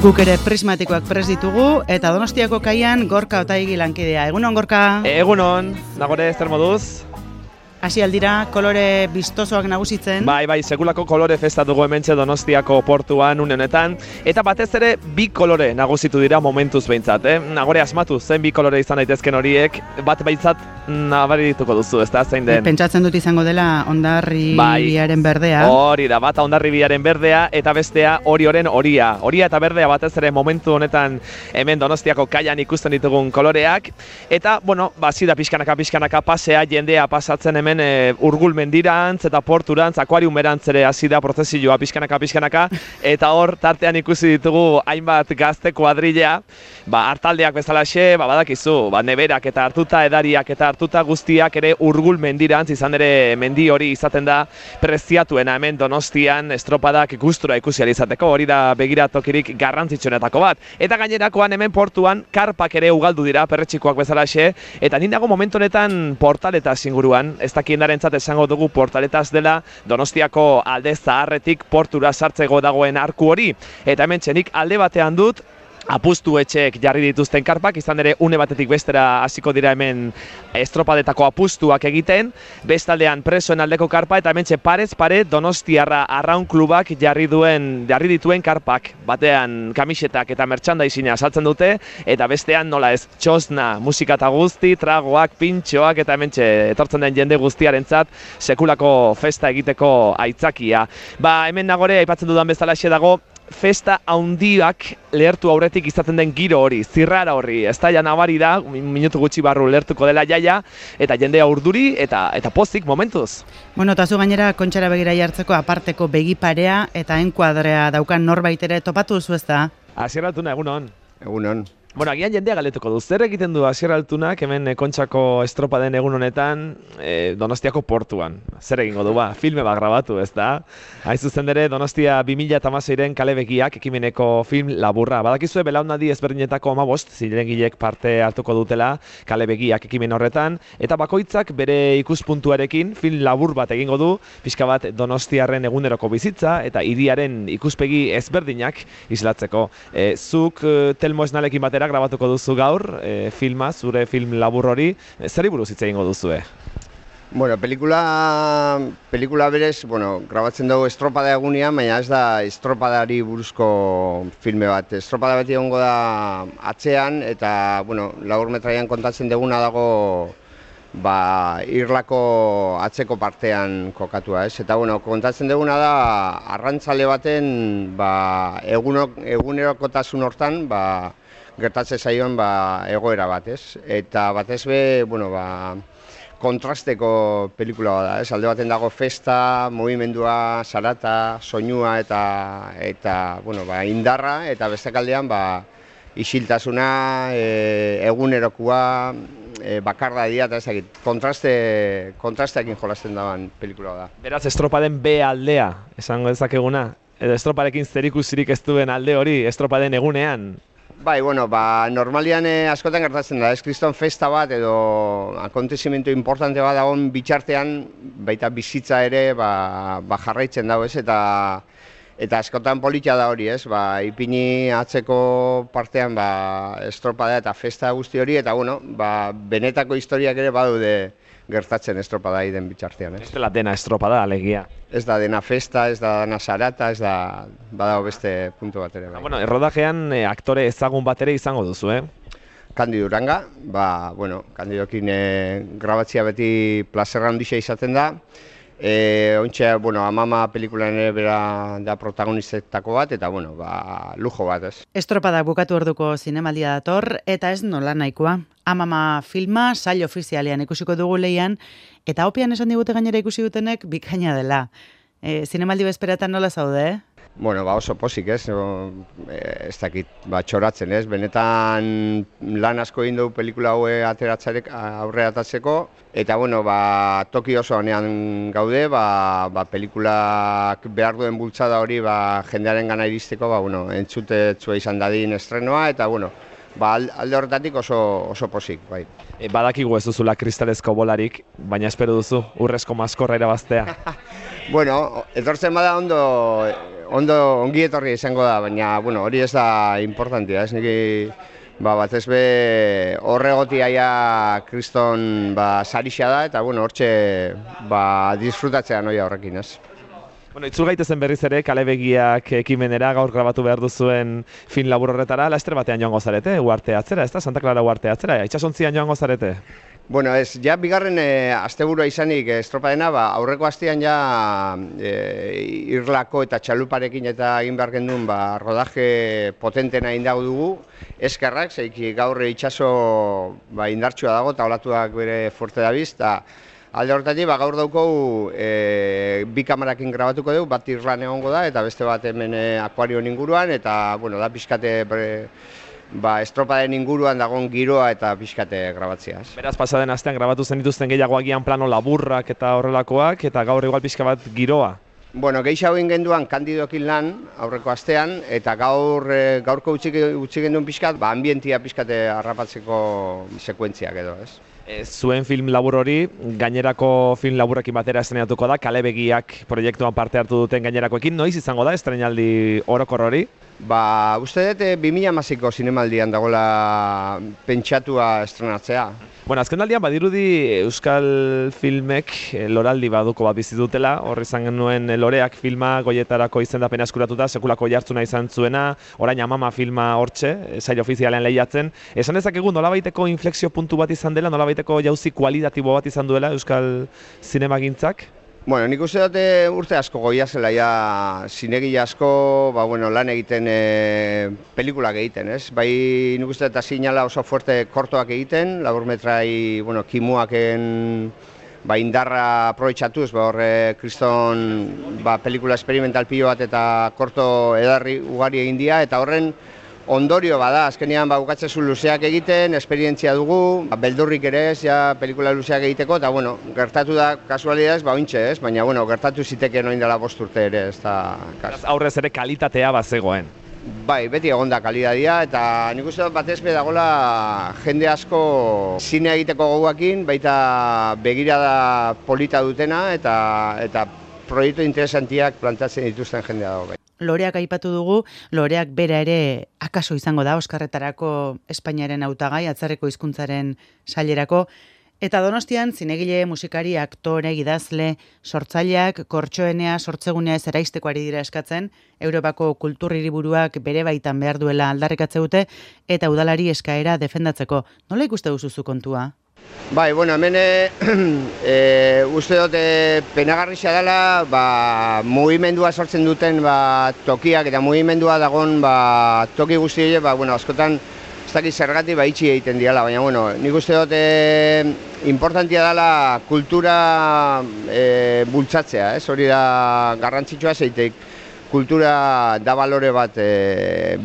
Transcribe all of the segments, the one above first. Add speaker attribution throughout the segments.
Speaker 1: Guk ere prismatikoak prest ditugu, eta Donostiako kaian Gorka Otaegi lankidea. Egunon, Gorka?
Speaker 2: Egunon, nagore zer moduz?
Speaker 1: Hasi aldira, kolore bistosoak nagusitzen.
Speaker 2: Bai, sekulako kolore festa dugu hementxe Donostiako portuan une honetan. Eta batez ere, bi kolore nagusitu dira momentuz behintzat. Nagore asmatu, zen bi kolore izan daitezken horiek, bat behintzat nabarituko duzu, ez da, zein den?
Speaker 1: Pentsatzen dut izango dela Hondarribiaren berdea.
Speaker 2: Hori da, bata Hondarribiaren berdea, eta bestea Orioren horia. Horia eta berdea batez ere momentu honetan hemen Donostiako kaian ikusten ditugun koloreak. Eta, bueno, hasi da pixkanaka pasea, jendea pasatzen hemen Urgul mendirantz eta porturantz, akuariumerantz ere hasi da prozesioa pixkanaka, eta hor tartean ikusi ditugu hainbat gazte kuadrilla, hartaldeak bezalaxe, badakizu, neberak eta hartuta, edariak eta hartuta guztiak ere Urgul mendirantz, izan ere mendi hori izaten da preziatuena hemen Donostian estropadak gustura ikusi ahal izateko, hori da begiratokirik garrantzitsuenetako bat. Eta gainerakoan hemen portuan karpak ere ugaldu dira perretxikoak bezalaxe, eta nindago momentu honetan portaletaz inguruan, ez dakiendarentzat esango dugu portaletaz dela Donostiako alde zaharretik portura sartzeko dagoen arku hori. Eta hemen txenik alde batean dut, apustu etxeek jarri dituzten karpak, izan ere une batetik bestera hasiko dira hemen estropadetako apustuak egiten, bestaldean presoen aldeko karpa, eta hemen parez pare Donostiarra Arraun Klubak jarri dituen karpak, batean kamisetak eta merchandising saltzen dute, eta bestean nola ez, txosna, musika eta guzti, tragoak, pintxoak, eta hemen etortzen den jende guztiarentzat sekulako festa egiteko aitzakia. Hemen nagore, aipatzen dudan bezalaxe dago, festa haundiak lehertu aurretik izaten den giro hori, zirrara horri, ez da, nabari da, minutu gutxi barru lehertuko dela jaia, eta jendea urduri eta pozik momentuz.
Speaker 1: Bueno, eta zu gainera kontxara begira jartzeko aparteko begiparea eta enkuadrea daukan norbait ere topatu duzu, ez da?
Speaker 2: Asier Altuna, egunon.
Speaker 3: Egunon.
Speaker 2: Bueno, agian jendea galetuko du. Zer egiten du Asier Altunak hemen Kontxako estropa den egun honetan Donostiako portuan? Zer egingo du, filme bat grabatu, ez da? Hain zuzen ere, Donostia 2016-ren kale begiak ekimeneko film laburra. Badakizue belaunaldi ezberdinetako 15 zilegilek parte hartuko dutela kale begiak ekimen horretan, eta bakoitzak bere ikuspuntuarekin film labur bat egingo du, pixka bat Donostiarren eguneroko bizitza eta hiriaren ikuspegi ezberdinak islatzeko. Zuk Telmo Esnalekin batera grabatuko duzu gaur, filma, zure film labur hori, zer buruz hitz egingo duzue?
Speaker 3: Bueno, pelikula berez, grabatzen dugu estropada egunean, baina ez da estropadari buruzko filme bat. Estropada beti egongo da atzean, eta, laburmetraian kontatzen duguna dago Irlako atzeko partean kokatua, ez? Eta, kontatzen duguna da arrantzale baten egunerokotasun hortan, gertatzen zaion egoera bat, ez? Eta batez be, kontrasteko pelikula bada, ez? Alde baten dago festa, movimendua, zarata, soinua eta indarra, eta beste aldean isiltasuna, egunerokua, bakardadia eta ezagit, kontrasteekin jolasten dagoen pelikula da.
Speaker 2: Beraz, estropaden B aldea, esango dezakeguna? Edo estroparekin zerikusirik ez duen alde hori, estropaden egunean?
Speaker 3: Bai, normalian askotan gertatzen da, ez kriston festa bat edo akontezimentu importante bat dagoen bitxartean, baita bizitza ere jarraitzen dago, ez? Eta askotan politia da hori, ez? Ipini atzeko partean estropada eta festa guzti hori, eta benetako historiak ere badaude gertatzen estropada den bitxartean, ez?
Speaker 2: Ez dela dena estropada, alegia.
Speaker 3: Ez da dena festa, ez da dena zarata, ez da badago beste puntu bat ere.
Speaker 2: Errodajean aktore ezagun bat ere izango duzu,
Speaker 3: Kandido Uranga, Kandidokin grabatzea beti plazerra handia izaten da. Ontxe, Amama pelikulan ere bera da protagonistetako bat, eta, lujo bat, ez.
Speaker 1: Estropada bukatu orduko zinemaldia dator, eta ez nola nahikoa. Amama filma, sail ofizialean ikusiko dugu lehian, eta opian esan digute gainera ikusi dutenek bikaina dela. Zinemaldi bezperatan nola zaude,
Speaker 3: Oso pozik, ez? Ez dakit, txoratzen, ez? Benetan lan asko egin dugu pelikula haue aurre atatzeko, eta, toki oso honean gaude, pelikulak behar duen bultzada hori jendearen gana iristeko, entzutetzua izan dadin estrenoa, eta, alde horretatik oso pozik, bai.
Speaker 2: Badakigu ez duzula kristalezko bolarik, baina espero duzu urrezko maskorra irabaztea.
Speaker 3: Etortzen bada ongi etorri izango da, baina, bueno, hori ez da importantia, ez niki, batez be horregotiaia kriston sarixa da, eta, bueno, hortxe, disfrutatzea noia horrekin, ez.
Speaker 2: Bueno, itzul gaitezen berriz ere, Kalebegiak ekimenera gaur grabatu behar duzuen film labur horretara, laster batean joango zarete, Uharte atzera, ez da? Santa Clara Uharte atzera, itxasontzian joango zarete?
Speaker 3: Bueno, ez, ja bigarren asteburua izanik estropadena, aurreko astean ja irlako eta txaluparekin eta egin behar gendun rodaje potentena indago dugu, eskerrak, zeiki gaur itxaso indartsua dago eta olatuak bere fuerte dabiz, eta alde horretatik, gaur daukou bi kamerakin grabatuko dugu, bat Irlan egongo da, eta beste bat hemen akuarioen inguruan, eta, bueno, da pixkate estropaden inguruan dagoen giroa eta pixkate grabatzea.
Speaker 2: Beraz, pasaden astean grabatu zen dituzten gehiago agian plano laburrak eta horrelakoak, eta gaur igual pixka bat giroa.
Speaker 3: Bueno, gehiago egin genduan Kandidokin lan aurreko astean, eta gaurko utzi genduen pixkat, ambientia pixkate harrapatzeko sekuentziak edo, ez?
Speaker 2: Zuen film labur hori, gainerako film laburrekin batera estrenatuko da, Kalebegiak proiektuan parte hartu duten gainerakoekin, noiz izango da estrenaldi orokor hori?
Speaker 3: Uste dut 2016ko zinemaldian dagoela pentsatua estrenatzea.
Speaker 2: Bueno, azkenaldian badirudi euskal filmek loraldi baduko bat bizi dutela, hor izan genuen Loreak filma goietarako izendapena eskuratuta, sekulako jartzuna izan zuena, orain Amama filma hortxe, sail ofizialean lehiatzen. Esan dezakegu nolabaiteko inflexio puntu bat izan dela, nolabaiteko jauzi kualitatibo bat izan duela euskal zinemagintzak?
Speaker 3: Bueno, nik uste dute urte asko goia zela, zinegile asko lan egiten pelikulak egiten, ez? Bai, nik uste dut sinala oso fuerte kortoak egiten, laburmetrai, kimuaken indarra aprobetxatuz, horre kriston pelikula experimental pilo bat eta korto edarri ugari egin dira, eta horren ondorio bada, azkenean bukatzezu luzeak egiten, esperientzia dugu, beldurrik ere ez, pelikula luzeak egiteko, eta gertatu da kasualidadez, ointxe ez, baina gertatu ziteke noin dela 5 urte ere, ez da...
Speaker 2: Aurrez ere kalitatea bazegoen.
Speaker 3: Bai, beti egon da kalitatea, eta nik uste dut batez dagoela jende asko zine egiteko goguakin, baita begirada polita dutena, eta proiektu interesantiak plantatzen dituzten jendea dago.
Speaker 1: Loreak aipatu dugu, Loreak bera ere akaso izango da Oskarretarako Espainiaren hautagai, atzerriko hizkuntzaren sailerako, eta Donostian zinegile, musikari, aktore, idazle, sortzaileak, kortxoenea, sortzegunea ez eraisteko ari dira eskatzen, Europako kultur hiriburuak bere baitan behar duela aldarrikatze dute, eta udalari eskaera defendatzeko. Nola ikuste duzu kontua?
Speaker 3: Bai, hemen uste dut penagarrixia dela mugimendua sortzen duten tokiak eta mugimendua dagoen toki guzti askotan ez dakit zergatik itxi egiten diala, baina nik uste dut importantia dela kultura bultzatzea, hori da garrantzitsua zeitek. Kultura da balore bat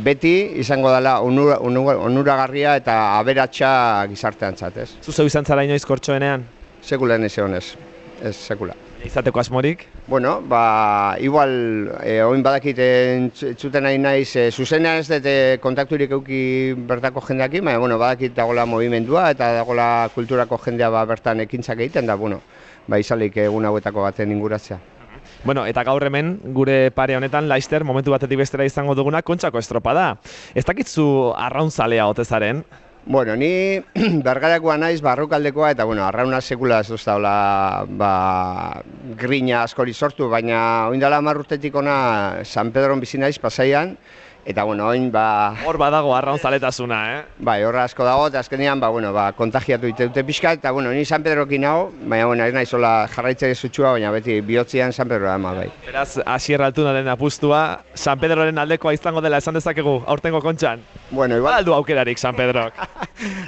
Speaker 3: beti izango dela onuragarria eta aberatsa gizarteantzat, ez?
Speaker 2: Zuzeu izan zara inoiz kortxoenean?
Speaker 3: Sekulan ez egon ez sekula.
Speaker 2: Izateko asmorik?
Speaker 3: Bueno, igual, oin badakit entzuten nahi naiz, zuzenean ez dut kontakturik euki bertako jendeakin, baina badakit dagoela movimendua eta dagoela kulturako jendea bertan ekintzak egiten da, izalik egun hauetako baten inguratzea.
Speaker 2: Bueno, eta gaur hemen, gure pare honetan, Laister, momentu batetik bestera izango duguna, Kontxako estropada. Ez dakitzu arraunzalea ote zaren?
Speaker 3: Bueno, ni bergarakoa naiz, barrukaldekoa, eta arrauna sekula ez duztaula grina askori sortu, baina oindala 10 urtetik ona San Pedron bizi naiz Pasaian, eta oin
Speaker 2: hor badago arraunzaletasuna,
Speaker 3: Bai, horra asko dago, eta azkenean kontagiatu dute pixka, eta ni San Pedrokin nago, baina ez naiz hola jarraitzea zutxua, baina beti bihotzian San Pedro ama, bai.
Speaker 2: Beraz, Asier Altunaren apustua, San Pedroren aldekoa izango dela esan dezakegu, aurtengo Kontxan?
Speaker 3: Bueno, igual...
Speaker 2: Baldu aukerarik San Pedrok?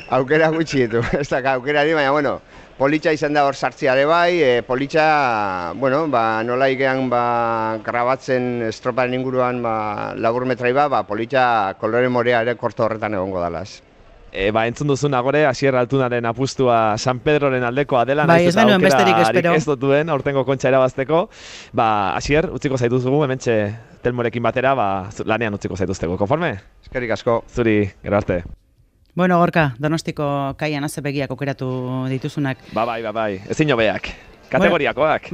Speaker 3: Aukera gutxi ditu, ez da aukerari, baina politxa izan da hor sartziare bai, politxa, nola ikean grabatzen estroparen inguruan laburmetrai politxa kolore morea ere korto horretan egongo dalaz.
Speaker 2: Entzun duzun agore, Asier Altunaren apustua San Pedroren aldekoa dela,
Speaker 1: ez genuen besterik espero.
Speaker 2: Ez dutuen, aurtengo Kontxa erabazteko. Asier, utziko zaituzugu, hementxe Telmorekin batera, lanean utziko zaituztego. Konforme?
Speaker 3: Eskerrik asko.
Speaker 2: Zuri, gero arte.
Speaker 1: Bueno, Gorka, Donostiko kaian azebegiak okeratu dituzunak.
Speaker 2: Bai, ezin hobeak. Kategoriakoak.